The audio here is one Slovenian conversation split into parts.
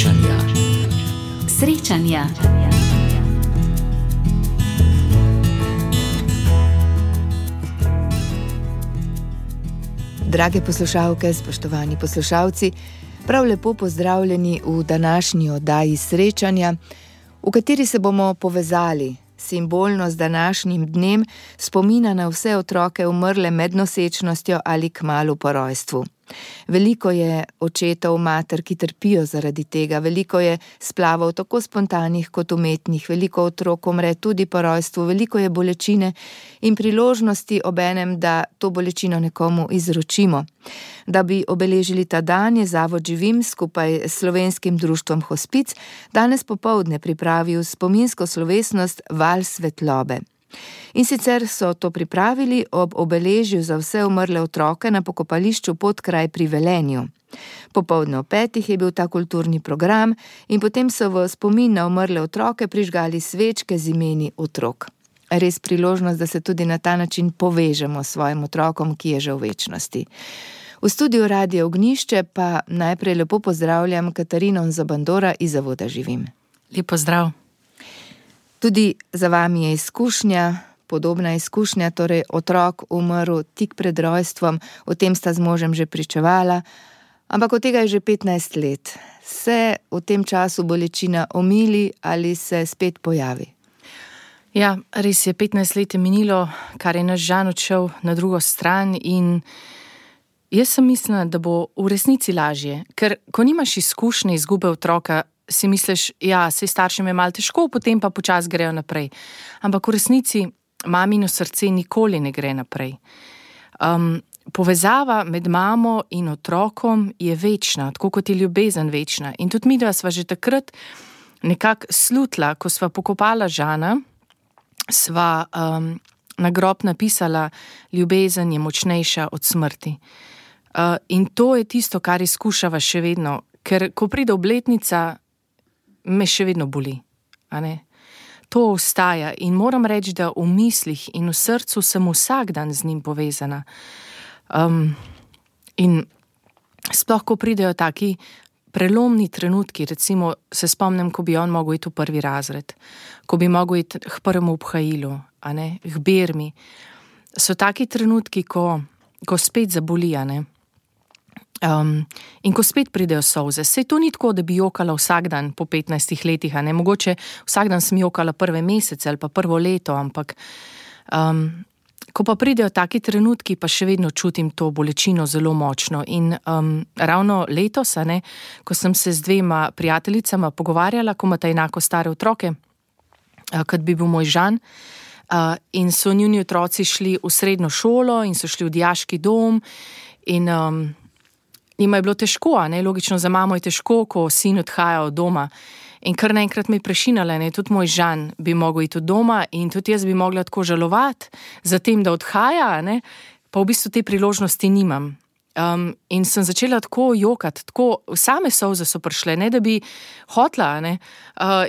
Srečanja. Srečanja. Drage poslušalke, spoštovani poslušalci, prav lepo pozdravljeni v današnji oddaji Srečanja, v kateri se bomo povezali simbolno z današnjim dnem spomina na vse otroke umrle med nosečnostjo ali kmalu po rojstvu. Veliko je očetov, mater, ki trpijo zaradi tega, veliko je splavov tako spontanih kot umetnih, veliko otrok umre tudi po rojstvu, veliko je bolečine in priložnosti obenem, da to bolečino nekomu izročimo. Da bi obeležili ta dan, je Zavod Živim skupaj s Slovenskim društvom Hospic danes popoldne pripravil spominsko slovesnost Val svetlobe. In sicer so to pripravili ob obeležju za vse umrle otroke na pokopališču Podkraj pri Velenju. Popoldne ob 5 je bil ta kulturni program in potem so v spomin na umrle otroke prižgali svečke z imeni otrok. Res priložnost, da se tudi na ta način povežemo s svojim otrokom, ki je že v večnosti. V studiu Radia Ognjišče pa najprej lepo pozdravljam Katarino Zabandora iz Zavoda Živim. Lep pozdrav. Tudi za vami je izkušnja, podobna izkušnja, torej otrok umrl tik pred rojstvom, o tem sta z možem že pričevala, ampak od tega je že 15 let. Se v tem času bolečina omili ali se spet pojavi? Ja, res je, 15 let je minilo, kar je naš Žan odšel na drugo stran in jaz sem mislila, da bo v resnici lažje, ker ko nimaš izkušnje izgube otroka, si misliš, ja, saj staršem je malo težko, potem pa počasi grejo naprej. Ampak v resnici mamino srce nikoli ne gre naprej. Povezava med mamo in otrokom je večna, tako kot je ljubezen večna. In tudi midva sva že takrat nekako slutila, ko sva pokopala Žana, sva na grob napisala, ljubezen je močnejša od smrti. In to je tisto, kar izkušava še vedno, ker ko pride obletnica, me še vedno boli, a ne? To ostaja in moram reči, da v mislih in v srcu sem vsak dan z njim povezana. In sploh, ko pridejo taki prelomni trenutki, recimo se spomnim, ko bi on mogel iti v prvi razred, ko bi mogel iti k prvemu obhajilu, a ne, k bermi, so taki trenutki, ko spet zaboli, a ne. In ko spet pridejo solze, sej to ni tako, da bi jokala vsak dan po 15 letih, a ne, mogoče vsak dan sem jokala prve mesece ali pa prvo leto, ampak ko pa pridejo taki trenutki, pa še vedno čutim to bolečino zelo močno in ravno letos, a ne, ko sem se z 2 prijateljicama pogovarjala, ko imata enako stare otroke, kot bi bil moj Žan, in so njuni otroci šli v srednjo šolo in so šli v dijaški dom in njima je bilo težko, a ne, logično za mamo je težko, ko sin odhaja od doma. In kar naenkrat me je prešinala, ne, tudi moj Žan bi mogel iti od doma in tudi jaz bi mogla tako žalovati za tem, da odhaja, a ne, pa v bistvu te priložnosti nimam. In sem začela tako jokati, tako same solze so prišle, ne da bi hotla, a ne,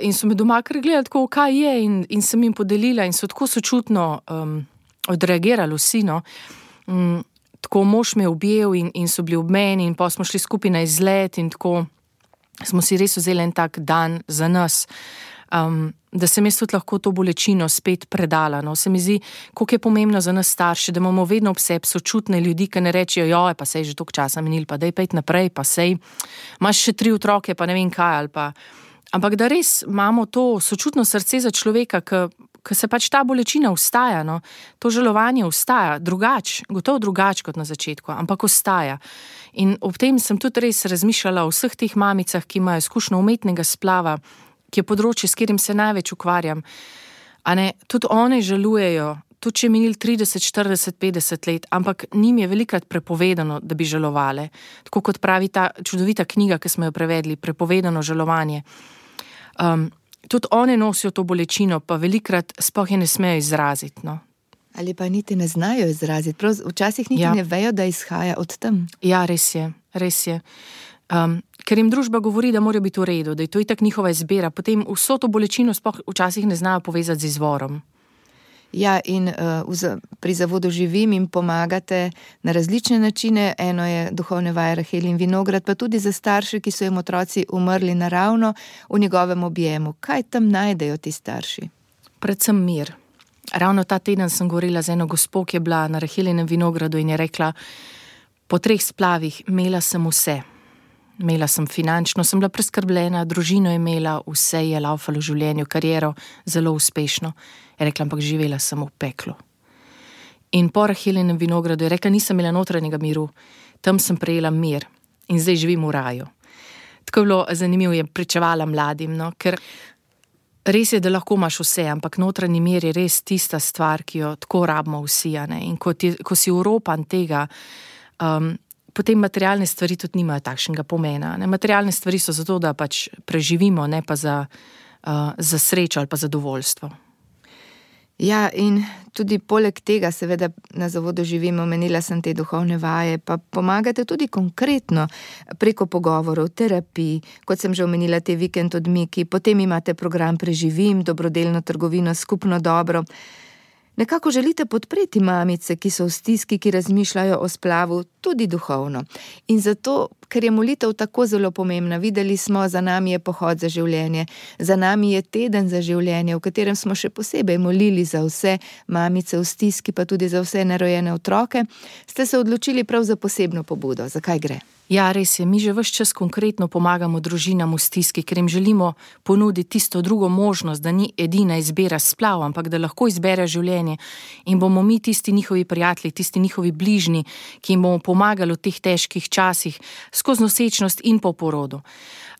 in so me doma kar gledali tako, kaj je, in sem jim podelila in so tako sočutno odreagirali vsi, no. Tako mož me je objel in so bili ob meni in pa smo šli skupaj na izlet in tako smo si res vzeli en tak dan za nas, da sem jaz tudi lahko to bolečino spet predala. No. Se mi zdi, koliko je pomembno za nas starše, da imamo vedno ob sebi sočutne ljudi, ki ne rečejo, joj, pa sej že toliko časa minil, pa daj pa iti naprej, pa sej imaš še 3 otroke, pa ne vem kaj, ali pa. Ampak da res imamo to sočutno srce za človeka, ki se pač ta bolečina ustaja, no, to žalovanje ustaja, gotovo drugač kot na začetku, ampak ostaja. In ob tem sem tudi res razmišljala o vseh teh mamicah, ki imajo izkušnjo umetnega splava, ki je področje, s katerim se največ ukvarjam. A ne, tudi one žalujejo, tudi če je minil 30, 40, 50 let, ampak njim je velikrat prepovedano, da bi žalovale. Tako kot pravi ta čudovita knjiga, ki smo jo prevedli, Prepovedano žalovanje. Tudi one nosijo to bolečino, pa velikrat sploh je ne smejo izraziti, no. Ali pa niti ne znajo izraziti, včasih niti ne vejo, da izhaja od tam. Ja, res je. Ker jim družba govori, da morajo biti v redu, da je to itak njihova izbira, potem vso to bolečino sploh včasih ne znajo povezati z izvorom. Ja, in pri Zavodu Živim jim pomagate na različne načine. Eno je duhovne vaje Rahel in vinograd, pa tudi za starše, ki so jim otroci umrli naravno v njegovem objemu. Kaj tam najdejo ti starši? Predvsem mir. Ravno ta teden sem govorila z eno gospo, ki je bila na Rahelinem vinogradu in je rekla, po 3 splavih imela sem vse. Imela sem finančno, sem bila preskrbljena, družino imela, vse je laufalo v življenju, kariero, zelo uspešno. Je rekla, ampak živela sem v peklu. In po Rahelinem vinogradu je rekla, nisem imela notranjega miru, tam sem prejela mir in zdaj živim v raju. Tako je bilo zanimivo, je pričevala mladim, no, ker res je, da lahko imaš vse, ampak notranji mir je res tista stvar, ki jo tako rabimo vsi, ne? In ko si uropan tega, potem materialne stvari tudi nimajo takšnega pomena. Ne? Materialne stvari so zato, da pač preživimo, ne pa za srečo ali pa zadovoljstvo. Ja, in tudi poleg tega, seveda na Zavodu Živim, omenila sem te duhovne vaje, pa pomagate tudi konkretno preko pogovorov, terapij, kot sem že omenila te vikend odmiki, potem imate program Preživim, dobrodelno trgovino Skupno dobro. Nekako želite podpreti mamice, ki so v stiski, ki razmišljajo o splavu, tudi duhovno. In zato, ker je molitev tako zelo pomembna, videli smo, za nami je pohod za življenje, za nami je teden za življenje, v katerem smo še posebej molili za vse mamice v stiski, pa tudi za vse nerojene otroke, ste se odločili prav za posebno pobudo. Zakaj gre? Ja, res je, mi že ves čas konkretno pomagamo družinam v stiski, ker jim želimo ponuditi tisto drugo možnost, da ni edina izbira splav, ampak da lahko izbere življenje in bomo mi tisti njihovi prijatelji, tisti njihovi bližnji, ki jim bomo pomagali v teh težkih časih, skozi nosečnost in po porodu.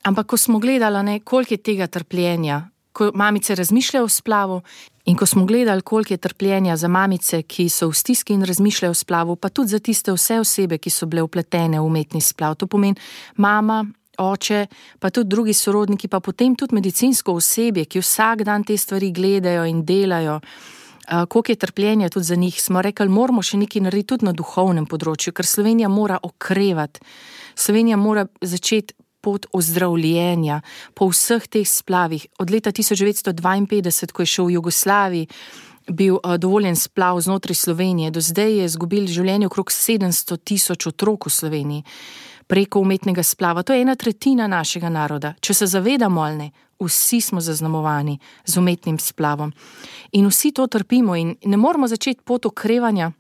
Ampak ko smo gledali, koliko je tega trpljenja, ko mamice razmišljajo o splavu in ko smo gledali, koliko je trpljenja za mamice, ki so v stiski in razmišljajo o splavu, pa tudi za tiste vse osebe, ki so bile vpletene v umetni splav. To pomeni mama, oče, pa tudi drugi sorodniki, pa potem tudi medicinsko osebje, ki vsak dan te stvari gledajo in delajo. Koliko je trpljenja tudi za njih, smo rekli, moramo še nekaj narediti tudi na duhovnem področju, ker Slovenija mora okrevati. Slovenija mora začeti pot ozdravljenja po vseh teh splavih. Od leta 1952, ko je šel v Jugoslaviji, bil dovoljen splav znotraj Slovenije, do zdaj je izgubil življenje okrog 700 000 otrok v Sloveniji preko umetnega splava. To je 1/3 našega naroda. Če se zavedamo ali ne, vsi smo zaznamovani z umetnim splavom. In vsi to trpimo in ne moramo začeti pot okrevanja,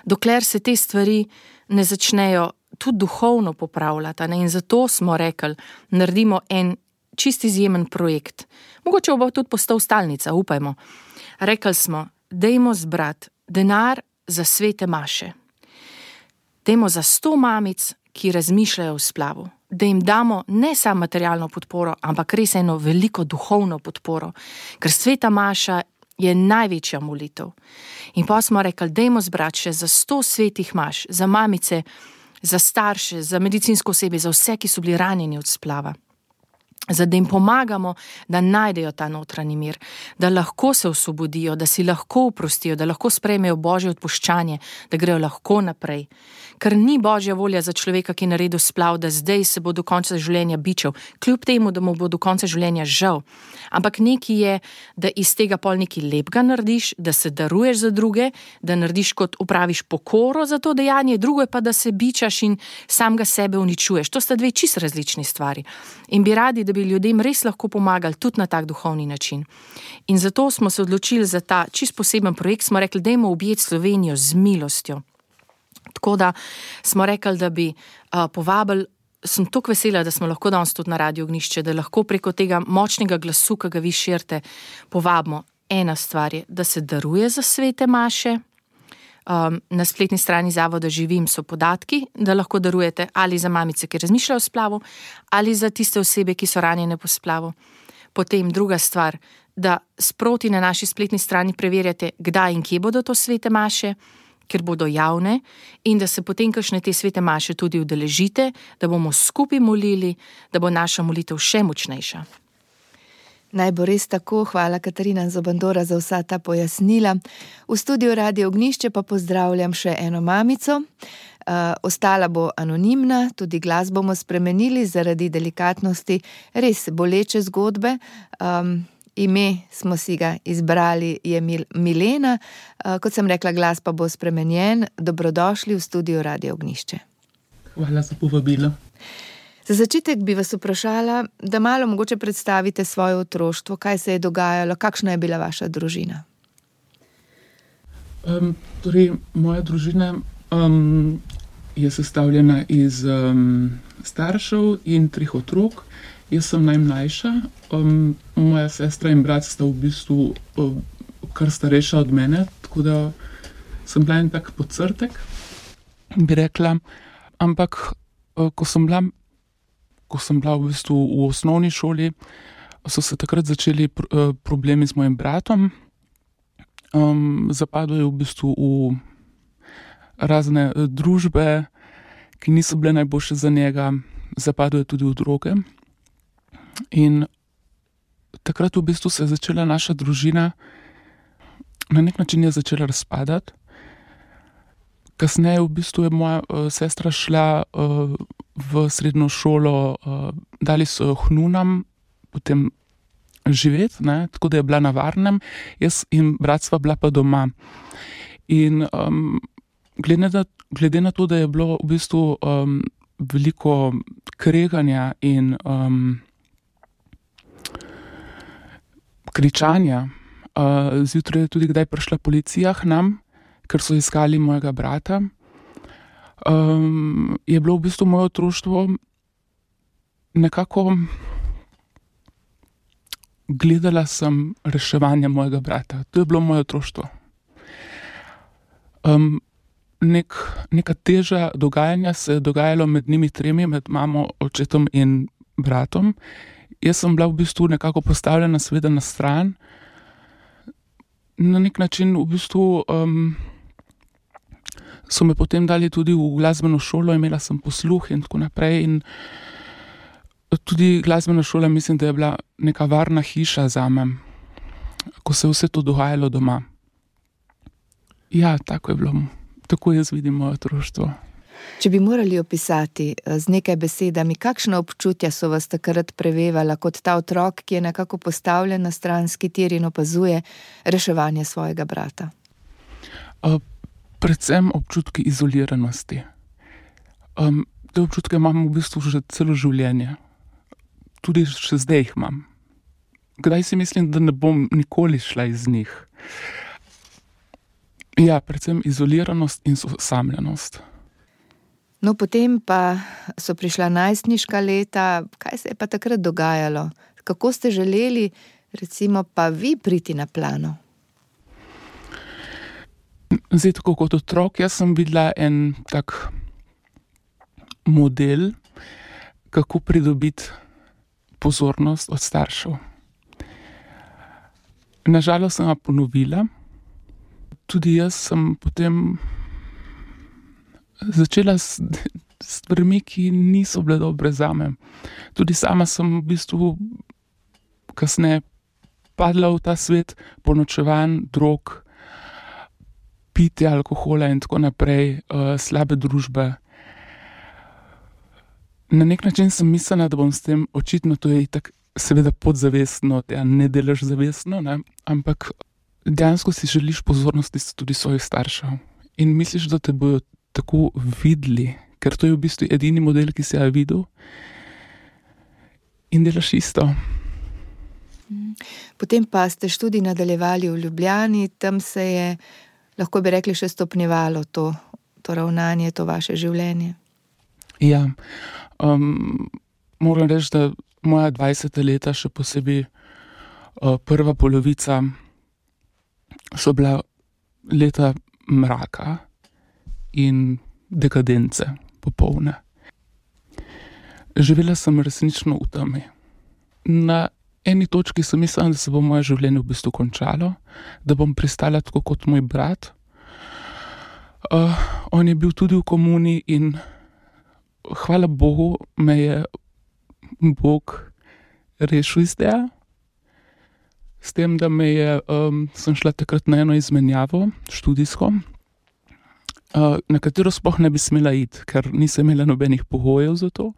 dokler se te stvari ne začnejo tudi duhovno popravljati. In zato smo rekli, naredimo en čist izjemen projekt. Mogoče bo tudi postal stalnica, upajmo. Rekli smo, dajmo zbrati denar za svete maše. Dajmo za 100 mamic, ki razmišljajo o splavu. Da jim damo ne samo materialno podporo, ampak res eno veliko duhovno podporo. Ker sveta maša je največja molitev. In pa smo rekli, dajmo zbrati še za 100 svetih maš, za mamice, za starše, za medicinsko osebje, za vse, ki so bili ranjeni od splava. Da jim pomagamo, da najdejo ta notranji mir, da lahko se osvobodijo, da si lahko oprostijo, da lahko sprejmejo Božje odpuščanje, da grejo lahko naprej. Ker ni Božja volja za človeka, ki je naredil splav, da zdaj se bo do konca življenja bičal, kljub temu, da mu bo do konca življenja žal. Ampak nekaj je, da iz tega pol nekaj lepega narediš, da se daruješ za druge, da narediš kot upraviš pokoro za to dejanje, drugo je pa, da se bičaš in samega sebe uničuješ. To sta 2 čisto različni stvari. In bi radi, da bi ljudem res lahko pomagali tudi na tak duhovni način. In zato smo se odločili za ta čist poseben projekt, smo rekli, dajmo objeti Slovenijo z milostjo. Tako da smo rekli, da bi povabili, sem toliko vesela, da smo lahko danes tudi na Radio Ognjišče, da lahko preko tega močnega glasu, ki ga vi širite, povabimo. Ena stvar je, da se daruje za svete maše. Na spletni strani Zavoda Živim so podatki, da lahko darujete ali za mamice, ki razmišljajo o splavu, ali za tiste osebe, ki so ranjene po splavu. Potem druga stvar, da sproti na naši spletni strani preverjate, kdaj in kje bodo to svete maše, ker bodo javne, in da se potem kakšne te svete maše tudi udeležite, da bomo skupaj molili, da bo naša molitev še močnejša. Naj bo res tako, hvala Katarina Zobandora za vsa ta pojasnila. V studiu Radio Ognjišče pa pozdravljam še eno mamico. Ostala bo anonimna, tudi glas bomo spremenili zaradi delikatnosti res boleče zgodbe. ime smo si ga izbrali, je Milena. Kot sem rekla, glas pa bo spremenjen. Dobrodošli v studiu Radio Ognjišče. Hvala za povabilo. Za začetek bi vas vprašala, da malo mogoče predstavite svoje otroštvo, kaj se je dogajalo, kakšna je bila vaša družina. Moja družina je sestavljena iz staršev in 3 otrok. Jaz sem najmlajša. Moja sestra in brat sta v bistvu kar starejša od mene, tako da sem bila en tak podcrtek, bi rekla. Ampak ko sem bila v bistvu v osnovni šoli, so se takrat začeli problemi z mojim bratom. Zapadel je v bistvu v razne družbe, ki niso bile najboljše za njega. Zapadel je tudi v droge. In takrat v bistvu se je začela naša družina, na nek način je začela razpadati. Kasneje v bistvu je moja sestra šla v srednjo šolo, dali so jo k nunam, potem živeti, ne, tako da je bila na varnem, jaz in brat sva bila pa doma. In glede na to, da je bilo v bistvu veliko kreganja in kričanja, zjutraj je tudi kdaj prišla policija k nam, ker so iskali mojega brata. Je bilo v bistvu moje otroštvo nekako, gledala sem reševanje mojega brata. To je bilo moje otroštvo. Neka teža dogajanja se je dogajalo med njimi 3, med mamo, očetom in bratom. Jaz sem bila v bistvu nekako postavljena seveda na stran. Na nek način v bistvu so me potem dali tudi v glasbeno šolo, imela sem posluh in tako naprej. In tudi glasbena šola mislim, da je bila neka varna hiša zame, ko se je vse to dogajalo doma. Ja, tako je bilo. Tako jaz vidim moje otroštvo. Če bi morali opisati z nekaj besedami, kakšna občutja so vas takrat prevevala kot ta otrok, ki je nekako postavljen na stranski tir in opazuje reševanje svojega brata? Predvsem občutki izoliranosti. Te občutke imam v bistvu že celo življenje. Tudi še zdaj jih imam. Kdaj si mislim, da ne bom nikoli šla iz njih. Ja, predvsem izoliranost in osamljenost. No, potem pa so prišla najstniška leta. Kaj se je pa takrat dogajalo? Kako ste želeli, recimo, pa vi priti na plano? Zdaj, tako kot otrok, jaz sem videla en tak model, kako pridobiti pozornost od staršev. Nažalost sem ga ponovila. Tudi jaz sem potem začela s stvarmi, ki niso bile dobre zame. Tudi sama sem v bistvu kasneje padla v ta svet ponočevanj, drog, pitja, alkohola in tako naprej, slabe družbe. Na nek način sem mislila, da bom s tem, očitno to je itak seveda podzavestno, ne delaš zavestno, ne, ampak dejansko si želiš pozornosti tudi svojih staršev. In misliš, da te bojo tako videli, ker to je v bistvu edini model, ki si ga videl, in delaš isto. Potem pa ste študij nadaljevali v Ljubljani, tam se je, lahko bi rekli, še stopnjevalo to ravnanje, to vaše življenje. Ja, moram reči, da moja 20. leta, še posebej prva polovica, so bila leta mraka in dekadence popolne. Živela sem resnično v temi. Na eni točki sem mislila, da se bo moje življenje v bistvu končalo, da bom pristala tako kot moj brat. On je bil tudi v komuni in hvala Bogu me je Bog rešil iz tega. S tem, da sem šla takrat na eno izmenjavo študijsko, na katero sploh ne bi smela iti, ker nisem imela nobenih pogojev za to.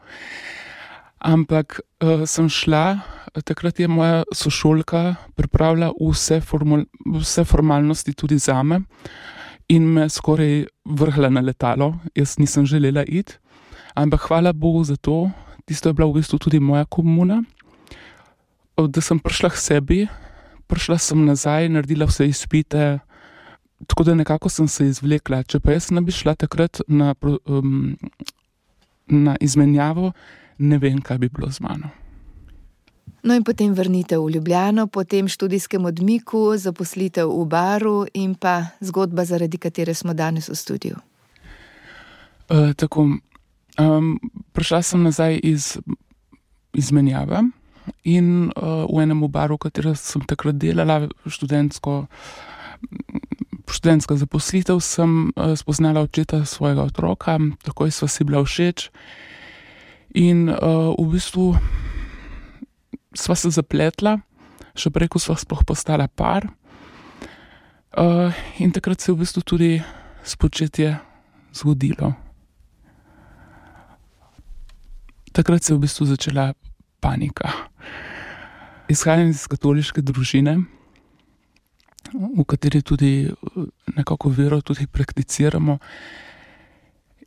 Ampak sem šla, takrat je moja sošolka pripravila vse formalnosti tudi zame in me skoraj vrgla na letalo. Jaz nisem želela iti, ampak hvala Bogu za to, tisto je bila v bistvu tudi moja komuna, da sem prišla k sebi, prišla sem nazaj, naredila vse izpite, tako da nekako sem se izvlekla. Če pa jaz ne bi šla takrat na izmenjavo, ne vem, kaj bi bilo z mano. No in potem vrnitev v Ljubljano, potem študijskem odmiku, zaposlitev v baru in pa zgodba, zaradi katere smo danes v studiu. Tako, prišla sem nazaj iz izmenjave in v enem baru, v katerem sem takrat delala, študentska zaposlitev, sem spoznala očeta svojega otroka, takoj sva si bila všeč in v bistvu sva se zapletla, še prej, ko sva sploh postala par. In takrat se je v bistvu tudi spočetje zgodilo. Takrat se je v bistvu začela panika. Izhajam iz katoliške družine, v kateri tudi nekako vero tudi prakticiramo.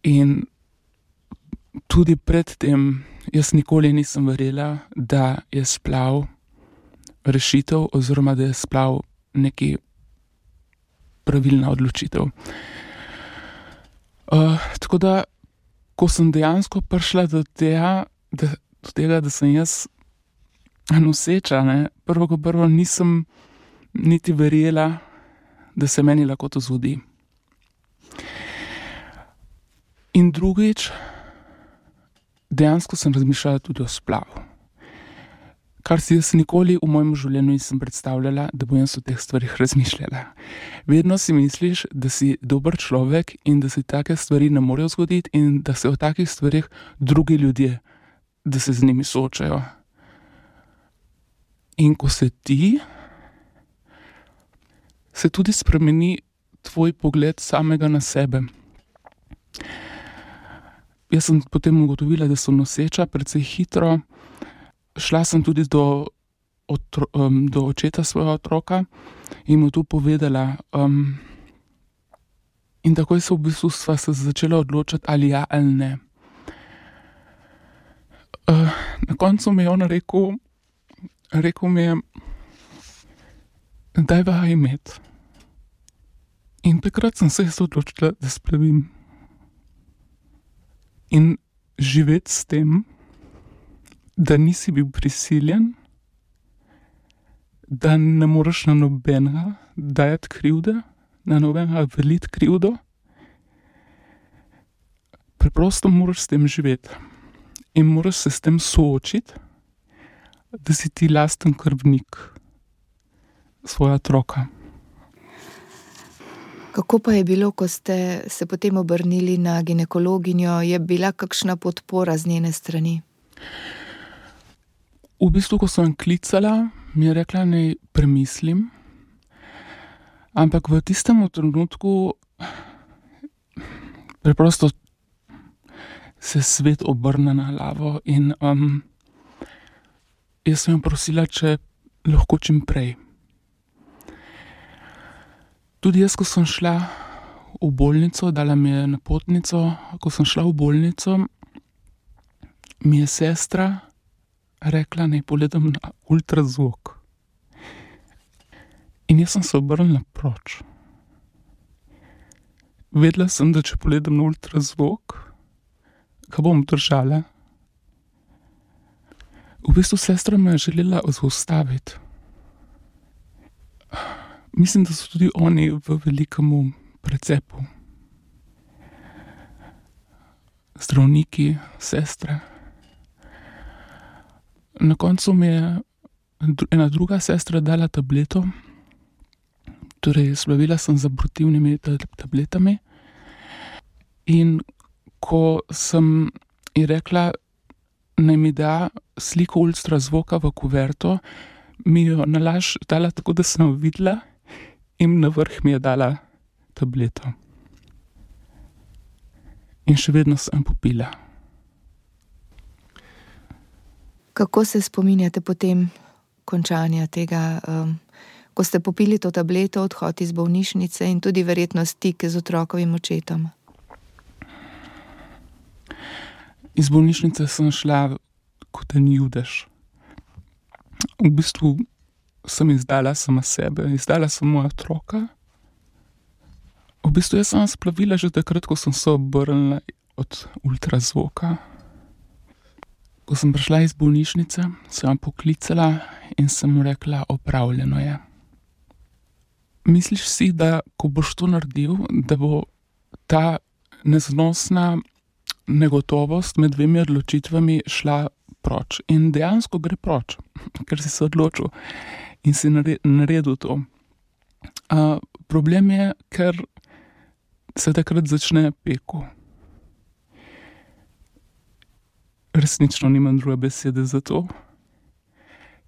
In tudi pred tem jaz nikoli nisem verjela, da je splav rešitev oziroma da je splav neki pravilna odločitev. Tako da, ko sem dejansko prišla do tega, da sem jaz noseča, prvo kot prvo nisem niti verjela, da se meni lahko to zgodi. In drugič, dejansko sem razmišljala tudi o splavu. Kar si jaz nikoli v mojem življenju nisem predstavljala, da bom jaz o teh stvarih razmišljala. Vedno si misliš, da si dober človek in da se take stvari ne morejo zgoditi in da se o takih stvarih drugi ljudje, da se z njimi soočajo. In ko se ti, se tudi spremeni tvoj pogled samega na sebe. Jaz sem potem ugotovila, da sem noseča precej hitro. Šla sem tudi do očeta svojega otroka in mu to povedala. In takoj se v bistvu sva se začela odločati, ali ja ali ne. Na koncu mi je on rekel mi je, dajva imeti. In takrat sem se jaz odločila, da splavim. In živeti s tem, da nisi bil prisiljen, da ne moreš na nobenega dajati krivde, na nobenega veliti krivdo. Preprosto moraš s tem živeti. In moraš se s tem soočiti, da si ti lasten krvnik svojega otroka. Kako pa je bilo, ko ste se potem obrnili na ginekologinjo? Je bila kakšna podpora z njene strani? V bistvu, ko sem klicala, mi je rekla, naj premislim. Ampak v tistem trenutku preprosto se svet obrne na glavo in jaz sem jo prosila, če lahko čim prej. Tudi jaz, ko sem šla v bolnico, dala mi je napotnico, ko sem šla v bolnico, mi je sestra rekla, naj pogledam na ultrazvok. In jaz sem se obrnila proč. Vedela sem, da če pogledam na ultrazvok, ga bom držala. V bistvu sestra me je želela zaustaviti. Mislim, da so tudi oni v velikemu precepu. Zdravniki, sestre. Na koncu mi je ena druga sestra dala tableto, torej splavila sem z abortivnimi tabletami. In ko sem ji rekla, naj mi da sliko ultrazvoka v kuverto, mi jo nalaž dala tako, da sem jo videla in na vrh mi je dala tableto. In še vedno sem popila. Kako se spominjate potem končanja tega, ko ste popili to tableto, odhod iz bolnišnice in tudi verjetno stik z otrokovim očetom? Iz bolnišnice sem šla kot en judež. V bistvu sem izdala sama sebe, izdala sem moja otroka. V bistvu jaz sem splavila že takrat, ko sem se obrnila od ultrazvoka. Ko sem prišla iz bolnišnice, sem jo poklicala in sem mu rekla, opravljeno je. Misliš si, da ko boš to naredil, da bo ta neznosna negotovost med dvemi odločitvami šla proč. In dejansko gre proč, ker si se odločil in si naredil to. Problem je, ker se takrat začne peko. Resnično nimam druge besede za to.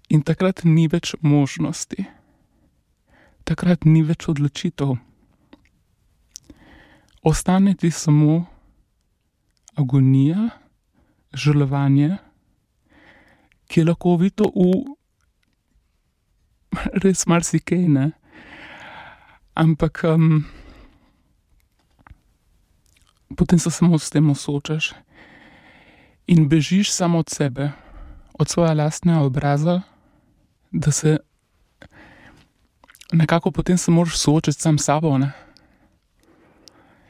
In takrat ni več možnosti. Takrat ni več odločitev. Ostane ti samo agonija, žalovanje, ki je lahko ovito v res marsikaj, ne. Ampak potem se samo s tem soočaš in bežiš samo od sebe, od svoja lastnega obraza, da se nekako potem se moraš soočiti sam s sabo, ne.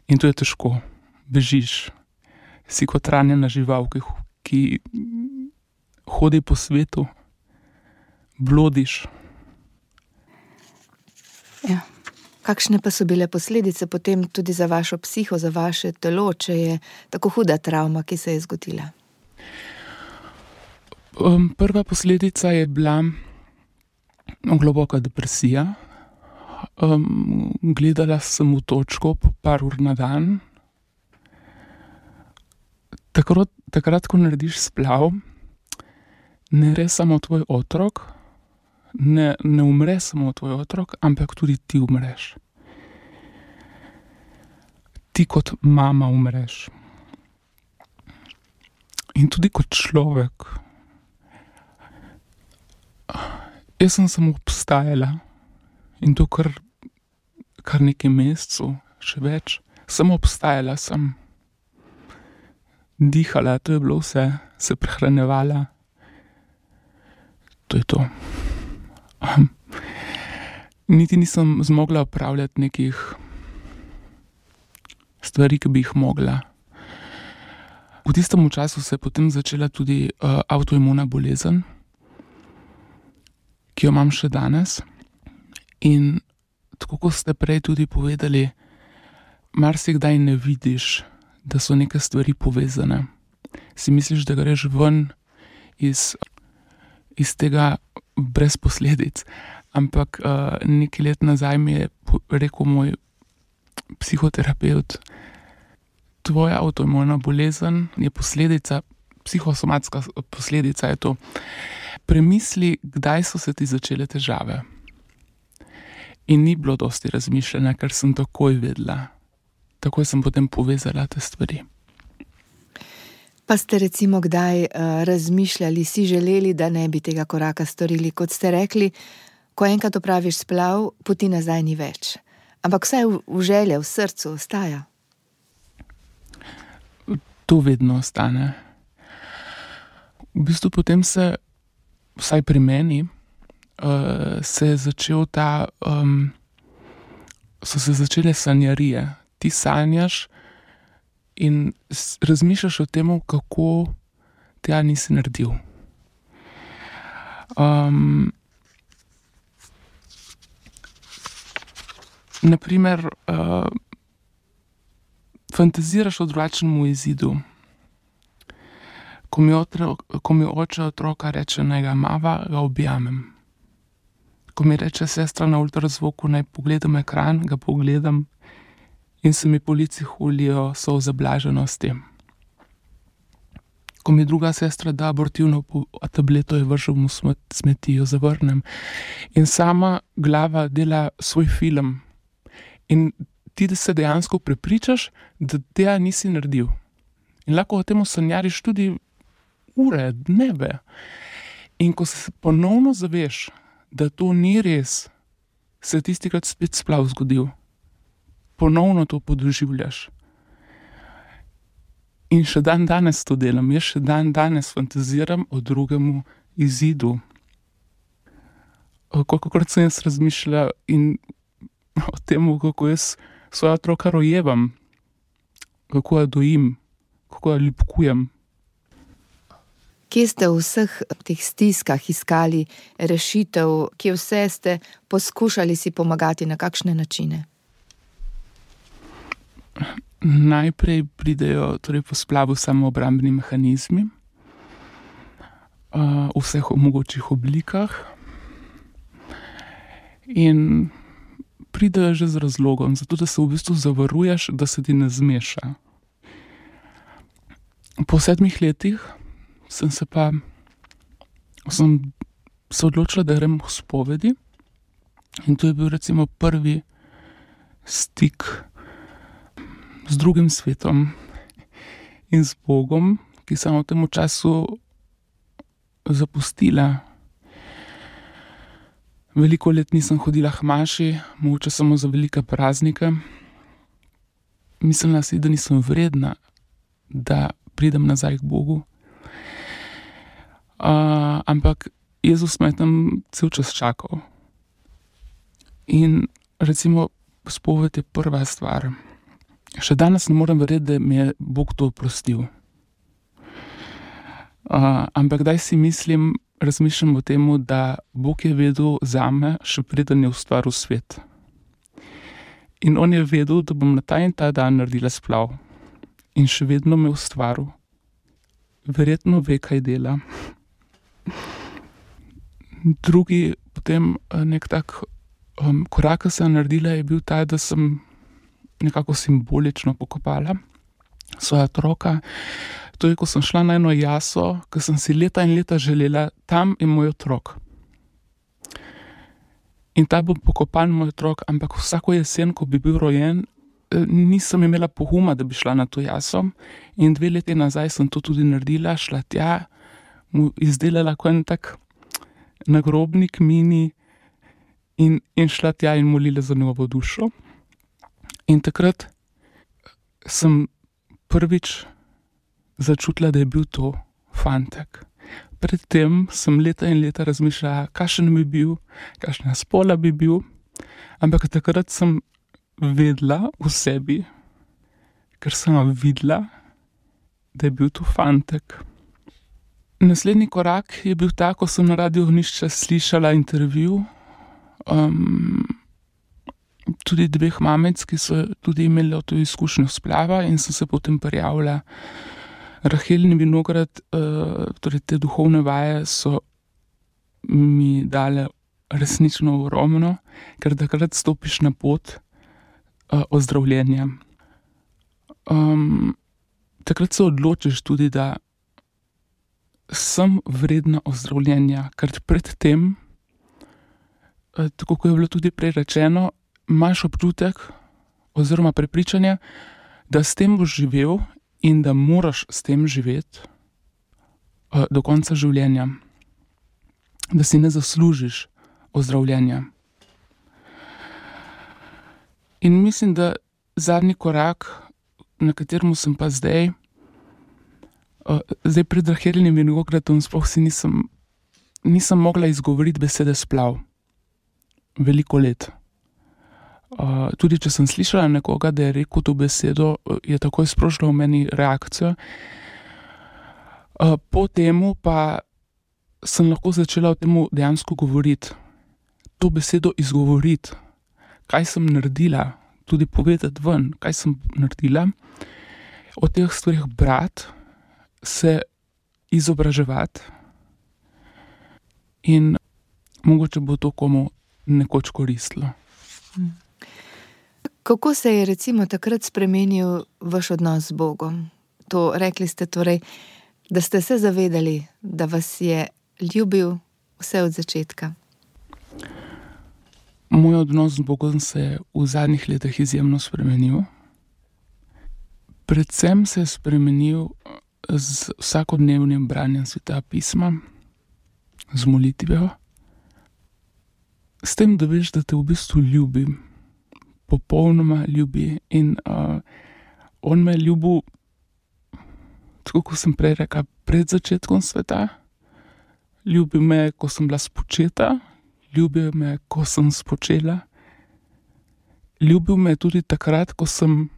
In to je težko. Bežiš. Si kot ranjena žival, ki hodi po svetu, blodiš. Ja. Kakšne pa so bile posledice potem tudi za vašo psiho, za vaše telo, če je tako huda travma, ki se je zgodila? Prva posledica je bila globoka depresija. Gledala sem v točko po par ur na dan. Takrat, ko narediš splav, ne gre samo tvoj otrok, ne umre samo tvoj otrok, ampak tudi ti umreš. Ti kot mama umreš. In tudi kot človek. Jaz sem samo obstajala in to kar nekaj mesecev, še več. Samo obstajala sem. Dihala, to je bilo vse, se prehranjevala. To je to. Niti nisem zmogla opravljati nekih stvari, ki bi jih mogla. V tistem času se je potem začela tudi avtoimuna bolezen, ki jo imam še danes. In tako kot ste prej tudi povedali, marsikdaj ne vidiš, da so neke stvari povezane. Si misliš, da greš ven iz tega brez posledic. Ampak nekaj let nazaj mi je rekel moj psihoterapevt, tvoja avtoimuna bolezen je posledica, psihosomatska posledica je to. Premisli, kdaj so se ti začele težave. In ni bilo dosti razmišljanja, ker sem takoj vedela. Takoj sem potem povezala te stvari. Pa ste recimo kdaj razmišljali, si želeli, da ne bi tega koraka storili? Kot ste rekli, ko enkrat opraviš splav, poti nazaj ni več. Ampak vsaj v želje, v srcu ostaja. To vedno ostane. V bistvu potem se, vsaj pri meni, se je začel so se začele sanjarije. Ti sanjaš in razmišljaš o tem, kako tega nisi naredil. Naprimer, fantaziraš o drugačnem izidu. Ko mi oče otroka reče, naj ga mava, ga objamem. Ko mi reče sestra na ultrazvoku, naj pogledam ekran, ga pogledam in se mi po licih ulijo solze blaženosti. Ko mi druga sestra da abortivno tableto, jo vržem v smeti, jo zavrnem. In sama glava dela svoj film. In ti se dejansko prepričaš, da tega nisi naredil. In lahko o tem sanjariš tudi ure, dneve. In ko se ponovno zaveš, da to ni res, se tistikrat spet splav zgodil. Ponovno to podoživljaš. In še dan danes to delam, jaz še dan danes fantaziram o drugemu izidu. Kolikokrat sem jaz razmišljala in o tem, kako jaz svoja otroka rojevam, kako jo dojim, kako jo ljubkujem. Kje ste v vseh teh stiskah iskali rešitev, kje vse ste poskušali si pomagati, na kakšne načine? Najprej pridejo po splavu samoobrambni mehanizmi v vseh mogočih oblikah in pridejo že z razlogom, zato da se v bistvu zavaruješ, da se ti ne zmeša. Po 7 letih sem se odločila, da grem v spovedi in to je bil recimo prvi stik z drugim svetom in z Bogom, ki sem v tem času zapustila. Veliko let nisem hodila k maši, mogoče samo za velike praznike. Mislila si, da nisem vredna, da pridem nazaj k Bogu. Ampak Jezus me je tam cel čas čakal. In recimo spoved je prva stvar. Še danes ne morem verjeti, da mi je Bog to oprostil. Ampak daj si razmišljam o tem, da Bog je vedel zame, še preden je ustvaril svet. In on je vedel, da bom na ta in ta dan naredila splav. In še vedno me ustvaril. Verjetno ve, kaj dela. Drugi potem nek tak korak, ki sem naredila, je bil ta, da sem nekako simbolično pokopala svoja otroka. To je, ko sem šla na eno jaso, ki sem si leta in leta želela, tam je moj otrok. In ta bo pokopan moj otrok, ampak vsako jesen, ko bi bil rojen, nisem imela poguma, da bi šla na to jaso. In 2 leti nazaj sem to tudi naredila, šla tja, mu izdelala en tak nagrobnik mini in šla tja in molila za njegovo dušo. In takrat sem prvič začutila, da je bil to fantek. Predtem sem leta in leta razmišljala, kakšen bi bil, kakšna spola bi bil, ampak takrat sem vedela v sebi, ker sem videla, da je bil to fantek. Naslednji korak je bil ta, ko sem na Radiu Ognjišče slišala intervju tudi 2 mamic, ki so tudi imeli to izkušnjo splava in sem se potem prijavila. Rahel in Vinograd, torej te duhovne vaje so mi dale resnično ogromno, ker takrat stopiš na pot ozdravljenja. Takrat se odločiš tudi, da sem vredna ozdravljenja, ker predtem, tako kot je bilo tudi prej rečeno, imaš občutek oziroma prepričanje, da s tem boš živel in da moraš s tem živeti do konca življenja. Da si ne zaslužiš ozdravljenja. In mislim, da zadnji korak, na katerem sem pa zdaj pred Raheljem in Vinogradom sploh si nisem mogla izgovoriti besede splav. Veliko let. Tudi če sem slišala nekoga, da je rekel to besedo, je takoj sprožila v meni reakcijo. Po temu pa sem lahko začela o temu dejansko govoriti. To besedo izgovoriti. Kaj sem naredila, tudi povedati ven, kaj sem naredila. O teh stvarih brati, se izobraževati in mogoče bo to komu nekoč koristilo. Kako se je recimo takrat spremenil vaš odnos z Bogom? To rekli ste torej, da ste se zavedali, da vas je ljubil vse od začetka. Moj odnos z Bogom se je v zadnjih letih izjemno spremenil. Predvsem se je spremenil z vsakodnevnim branjem Svetega pisma, z molitvijo, s tem, da veš, da te v bistvu ljubi, popolnoma ljubi in on me je ljubil, tako kot sem prej rekla, pred začetkom sveta, ljubil me, ko sem bila spočeta, ljubil me, ko sem spočela, ljubil me tudi takrat, ko sem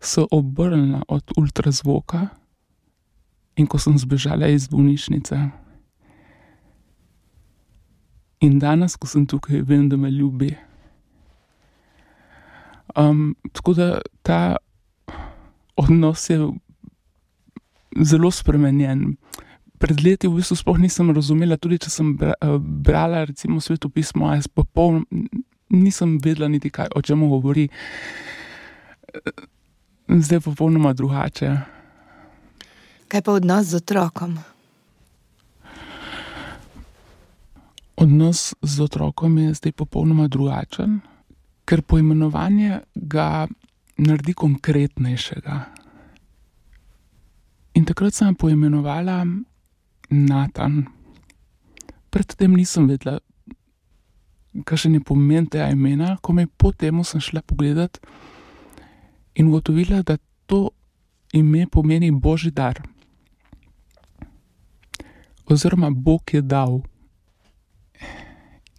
se obrnila od ultrazvoka in ko sem zbežala iz bolnišnice. In danes, ko sem tukaj, vem, da me ljubi. Tako da ta odnos je zelo spremenjen. Pred leti v bistvu sploh nisem razumela, tudi če sem brala recimo svetopismo, jaz nisem vedela niti kaj, o čem govori. Zdaj popolnoma drugače. Kaj pa odnos z otrokom? Odnos z otrokom je zdaj popolnoma drugačen, ker poimenovanje ga naredi konkretnejšega. In takrat sem poimenovala Natan. Predtem nisem vedela, kakšen je pomen tega imena, komaj po temu sem šla pogledat in ugotovila, da to ime pomeni Božji dar. Oziroma Bog je dal.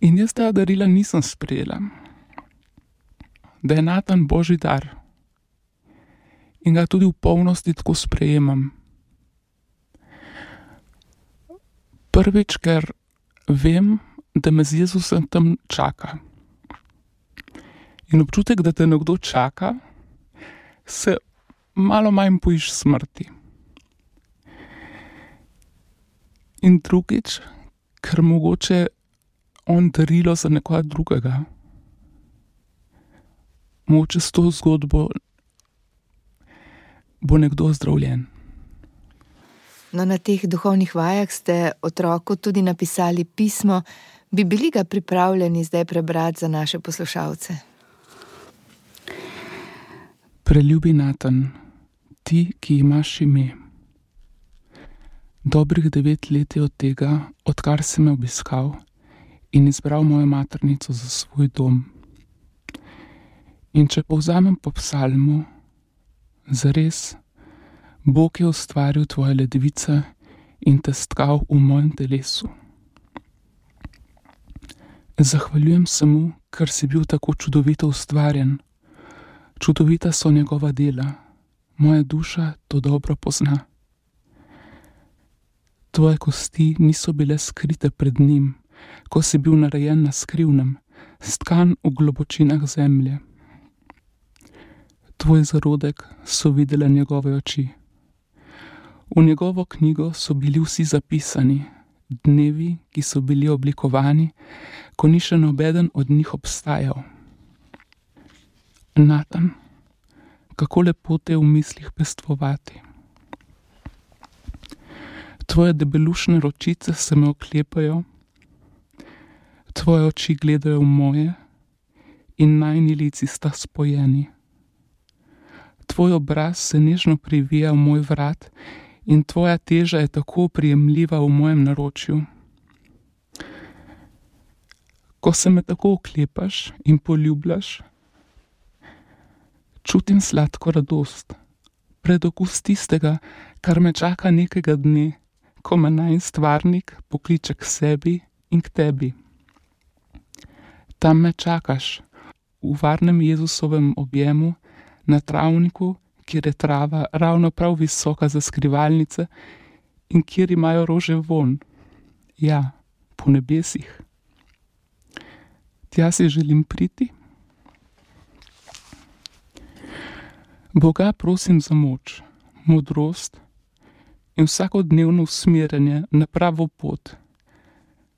In jaz tega darila nisem sprejela. Da je Natan Božji dar. In ga tudi v polnosti tako sprejemam. Prvič, ker vem, da me z Jezusem tam čaka. In občutek, da te nekdo čaka, se malo manj bojiš smrti. In drugič, ker mogoče on darilo za nekoga drugega. Mogoče s to zgodbo bo nekdo zdravljen. No, na teh duhovnih vajah ste otroku tudi napisali pismo. Bi bili ga pripravljeni zdaj prebrati za naše poslušalce? Preljubi Natan, ti, ki imaš ime. Dobrih 9 let je od tega, odkar si me obiskal in izbral mojo maternico za svoj dom. In če povzamem po psalmu, zares, Bog je ustvaril tvoje ledvice in te stkal v mojem telesu. Zahvaljujem se mu, ker si bil tako čudovito ustvarjen. Čudovita so njegova dela, moja duša to dobro pozna. Tvoje kosti niso bile skrite pred njim, ko si bil narejen na skrivnem, stkan v globočinah zemlje. Tvoj zarodek so videle njegove oči. V njegovo knjigo so bili vsi zapisani, dnevi, ki so bili oblikovani, ko ni še nobeden od njih obstajal. Natan, kako lepo te v mislih pestvovati. Tvoje debelušne ročice se me oklepajo, tvoje oči gledajo v moje in najini lici sta spojeni. Tvoj obraz se nežno privija v moj vrat in tvoja teža je tako prijemljiva v mojem naročju. Ko se me tako oklepaš in poljubljaš, čutim sladko radost, predokus tistega, kar me čaka nekega dne, ko me najin stvarnik pokliče k sebi in k tebi. Tam me čakaš, v varnem Jezusovem objemu, na travniku, kjer je trava ravno prav visoka za skrivalnice in kjer imajo rože von. Ja, po nebesih. Tja si želim priti. Boga prosim za moč, modrost in vsakodnevno usmerjanje na pravo pot,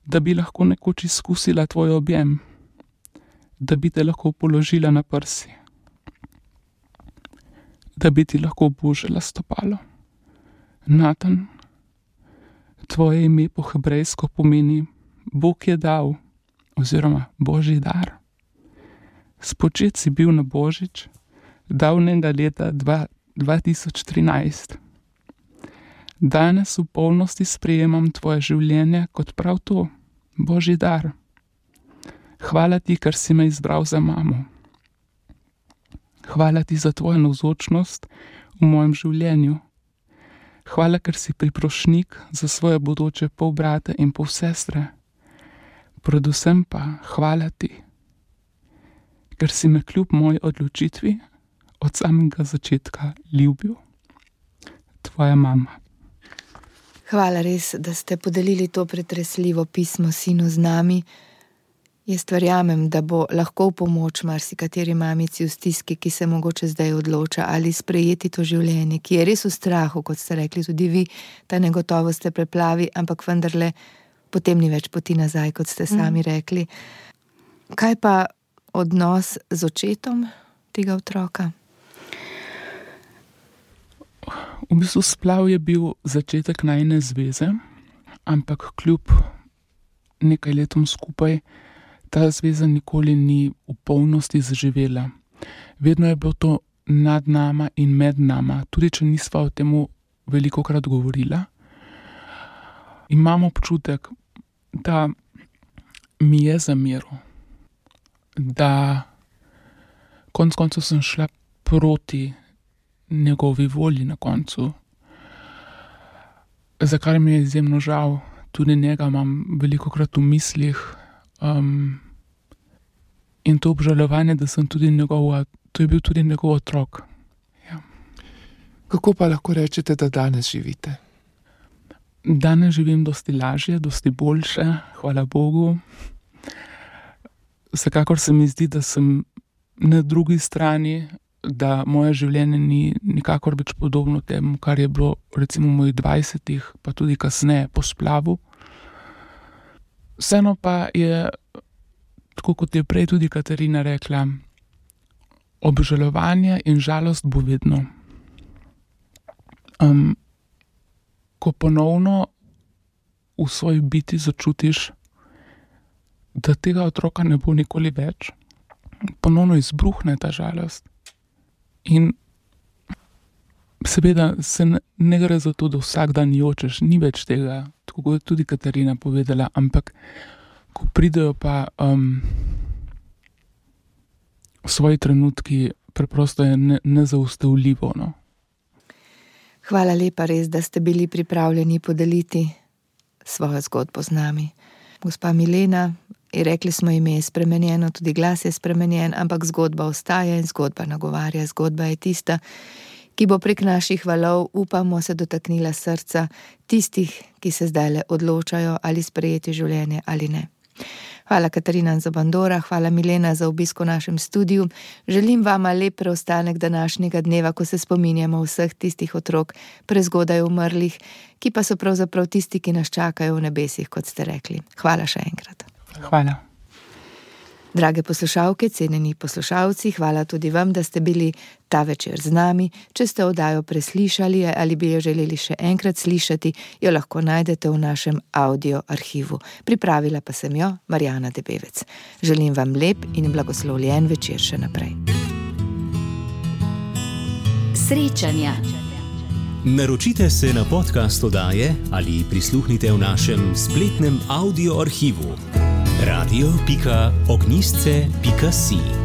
da bi lahko nekoč izkusila tvoj objem, da bi te lahko položila na prsi, da bi ti lahko obožala stopalo. Natan, tvoje ime po hebrejsko pomeni Bog je dal, oziroma Božji dar. Spočet si bil na Božič, davnega leta 2013. Danes v polnosti sprejemam tvoje življenje kot prav to, Božji dar. Hvala ti, ker si me izbral za mamo. Hvala ti za tvojo navzočnost v mojem življenju. Hvala, ker si priprošnik za svoje bodoče polbrate in polsestre. Predvsem pa hvala ti, ker si me kljub moji odločitvi od samega začetka ljubil. Tvoja mama. Hvala res, da ste podelili to pretresljivo pismo sinu z nami. Jaz verjamem, da bo lahko v pomoč marsikateri mamici v stiski, ki se mogoče zdaj odloča ali sprejeti to življenje, ki je res v strahu, kot ste rekli tudi vi, ta negotovost te preplavi, ampak vendarle potem ni več poti nazaj, kot ste sami rekli. Kaj pa odnos z očetom tega otroka? V bistvu splav je bil začetek najine zveze, ampak kljub nekaj letom skupaj ta zveza nikoli ni v polnosti zaživela. Vedno je bilo to nad nama in med nama, tudi če nisva o temu velikokrat govorila. Imam občutek, da mi je zameril, da konec koncev sem šla proti njegovi volji na koncu, za kar mi je izjemno žal. Tudi njega imam velikokrat v mislih, in to obžalovanje, da sem tudi to je bil tudi njegov otrok. Ja. Kako pa lahko rečete, da danes živite? Danes živim dosti lažje, dosti boljše, hvala Bogu. Vsekakor se mi zdi, da sem na drugi strani, da moje življenje ni nikakor več podobno temu, kar je bilo recimo v mojih 20-ih, pa tudi kasneje po splavu. Vseeno pa je, tako kot je prej tudi Katarina rekla, obžalovanje in žalost bo vedno. Ko ponovno v svoji biti začutiš, da tega otroka ne bo nikoli več, ponovno izbruhne ta žalost. In seveda se ne gre za to, da vsak dan jočeš, ni več tega, tako kot je tudi Katarina povedala, ampak ko pridejo pa svoji trenutki, preprosto je nezaustavljivo, no. Hvala lepa res, da ste bili pripravljeni podeliti svojo zgodbo z nami. Gospa Milena, rekli smo, ime je spremenjeno, tudi glas je spremenjen, ampak zgodba ostaja in zgodba nagovarja. Zgodba je tista, ki bo prek naših valov, upamo, se dotaknila srca tistih, ki se zdajle odločajo, ali sprejeti življenje ali ne. Hvala Katarina Zabandora, hvala Milena za obisk v našem studiu. Želim vama lep preostanek današnjega dneva, ko se spominjamo vseh tistih otrok prezgodaj umrlih, ki pa so pravzaprav tisti, ki nas čakajo v nebesih, kot ste rekli. Hvala še enkrat. Hvala. Drage poslušalke, cenjeni poslušalci, hvala tudi vam, da ste bili ta večer z nami. Če ste oddajo preslišali ali bi jo želeli še enkrat slišati, jo lahko najdete v našem audio arhivu. Pripravila pa sem jo Marjana Debevec. Želim vam lep in blagoslovljen večer še naprej. Srečanja. Naročite se na podcast oddaje ali prisluhnite v našem spletnem audio arhivu radio.ognjisce.si.